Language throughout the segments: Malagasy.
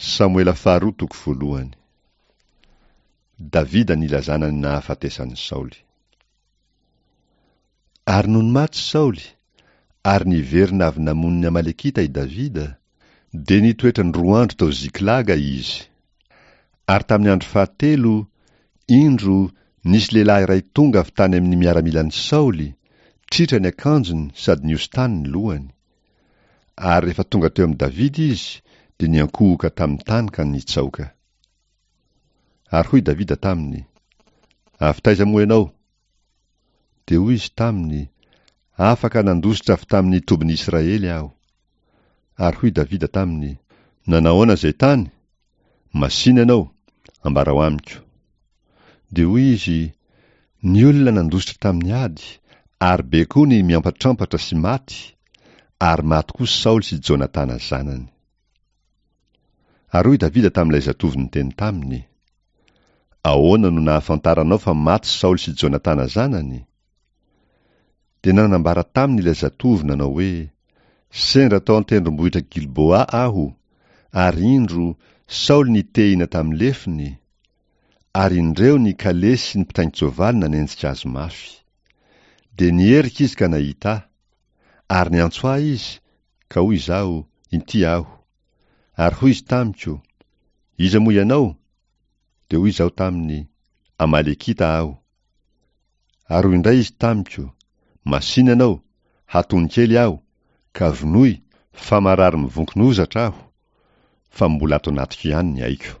Samoela faharoa toko voalohany. Davida nilazana ny nahafatesan'i Saoly. Ary nony maty Saoly, ary niverina avy namono ny Amalekita i Davida, dia nitoetra ny roa andro tao Ziklaga izy. Ary tamin'ny andro fahatelo, indro, nisy lehilahy iray tonga avy tany amin'ny miaramilan'i Saoly, tritra ny akanjony sady nihosin-tany ny lohany. Ary rehefa tonga teo amin'i Davida izy, dia niankohoka tamin'ny tany ka nitsaoka. Ary hoy Davida taminy, Avy taiza moa ianao? Dia hoy izy taminy, Afaka nandositra avy tamin'ny tobin'i Israely aho. Ary hoy Davida taminy, Nanahoana izay tany? Masìna ianao, ambarao amiko. Dia hoy izy, Ny olona nandositra tamin'ny ady, ary be koa ny miampatrampatra sy maty, ary maty koa Saoly sy Jonatana zanany. Ary hoy Davida tamin'ilay zatovo niteny taminy, Ahoana no nahafantaranao fa maty Saoly sy Jonatana zanany? Dia nanambara taminy ilay zatovo nanao hoe, Sendra tao an-tendrombohitra Gilboa aho, ary indro, Saoly nitehina tamin'ny lefony, ary indreo ny kalesy sy ny mpitaingin-tsoavaly nanenjika azy mafy. Dia niherika izy ka nahita ahy, ary niantso ahy izy, ka hoy izaho, Inty aho. Ary hoy izy tamiko, Iza moa ianao? Dia hoy izaho taminy, Amalekita aho. Ary hoy indray izy tamiko, Masìna ianao, hatony kely aho, ka vonoy, fa marary mivonkona hozatra aho, fa mbola ato anatiko ihany ny aiko.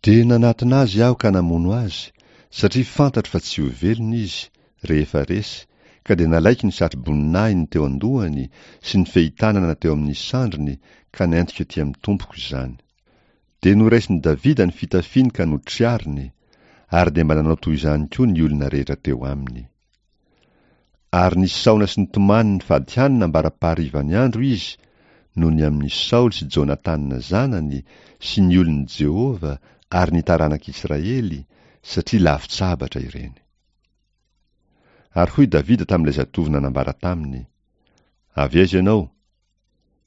Dia nanatona azy aho ka namono azy, satria fantatro fa tsy ho velona izy, rehefa resy, ka dia nalaiko ny satroboninahiny teo an-dohany sy ny fehitanana teo amin'ny sandriny ka nentiko ety amin'ny tompoko izany. Dia noraisin'i Davida ny fitafiany ka notriariny, ary dia mba nanao toy izany koa ny olona rehetra teo aminy. Ary nisaona sy nitomany nifady hanina ambara-paharivan'ny andro izy noho ny amin'i Saoly sy Jonatana zanany sy ny olon'i Jehovah ary ny taranak'Israely, satria lavon-tsabatra ireny. Ary hoy Davida tamin'ilay zatovo nanambara taminy, Avy aiza ianao?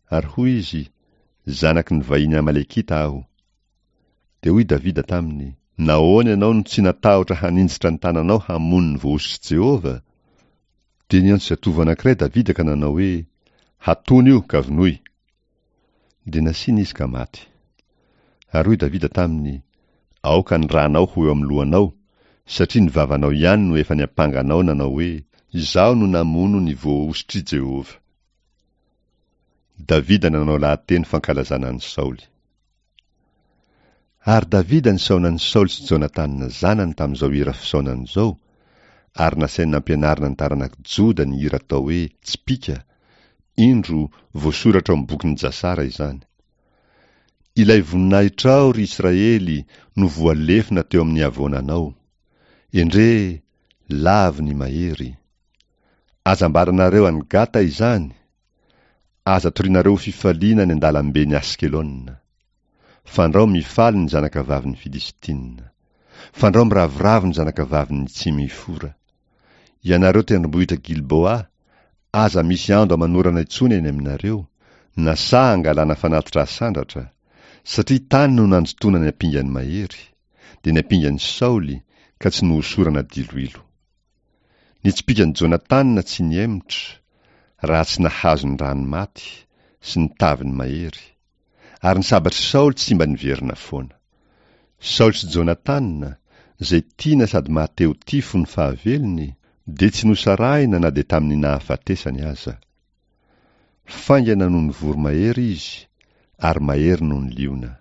Ary hoy izy, Zanaky ny vahiny Amalekita aho. Dia hoy Davida taminy, Nahoana ianao no tsy natahotra haninjitra ny tananao hamono ny voahosotr'i Jehovah? Dia niantso zatovo anankiray Davida ka nanao hoe, Hatony io, ka vonoy! Dia nasiana izy ka maty. Ary hoy Davida taminy, Aoka ny ranao ho eo amin'ny lohanao, satria ny vavanao ihany no efa niampanga anao nanao hoe, Izaho no namono ny voahosotr'i Jehovah. Davida nanao lahateny fankalazana an'i Saoly. Ary Davida nisaona an'i Saoly sy Jonatana zanany tamin'izao hira fisaonana izao, ary nasainy nampianarina ny taranak'i Joda ny hira atao hoe Tsipìka, indro, voasoratra ao amin'ny bokin'i Jasara izany. Ilay voninahitrao, ry Israely, no voalefona teo amin'ny havoananao. Endrey, lavo ny mahery! Aza ambaranareo any Gata izany, aza torianareo ho fifaliana any an-dalamben'i Askelona. Fandrao mifaly ny zanakavavin'ny Filistina. Fandrao miravoravo ny zanakavavin'ny Tsimifora. Ianareo tendrombohitra Gilboa, aza misy ando aman'orana intsony eny aminareo, na saha angalana fanatitra asandratra, satria tany no nanjotoana ny ampingan'ny mahery, dia ny ampingan'i Saoly, ka tsy nohosorana diloilo. Ny tsipìkan'i Jonatana tsy nihemotra, raha tsy nahazo ny rany maty, sy ny taviny mahery. Ary ny sabatr'i Saoly tsy mba niverina foana. Saoly sy Jonatana, izay tiana sady mahatehotia fony fahavelony, dia tsy nosarahina na dia tamin'ny nahafatesany aza. Faingana noho ny voromahery izy, ary mahery noho ny liona.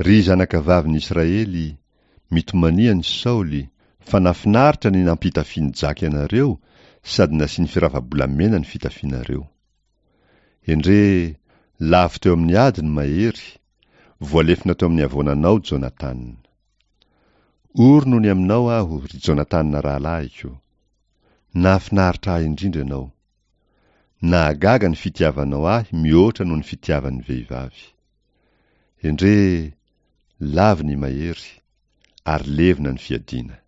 Ry zanakavavin'i Israely, mitomania an'i Saoly, fa nahafinaritra ny nampitafian'i Jaky anareo sady nasiany firava-bolamena ny fitafianareo. Endrey, lavo teo amin'ny ady ny mahery, voalefona teo amin'ny havoananao Jonatana. Ory noho ny aminao aho, ry Jonatana rahalahiko. Nahafinaritra ahy indrindra ianao. Nahagaga ny fitiavanao ahy mihoatra noho ny fitiavan'ny vehivavy. Endrey, lavo ny mahery, ary levona ny fiadiana.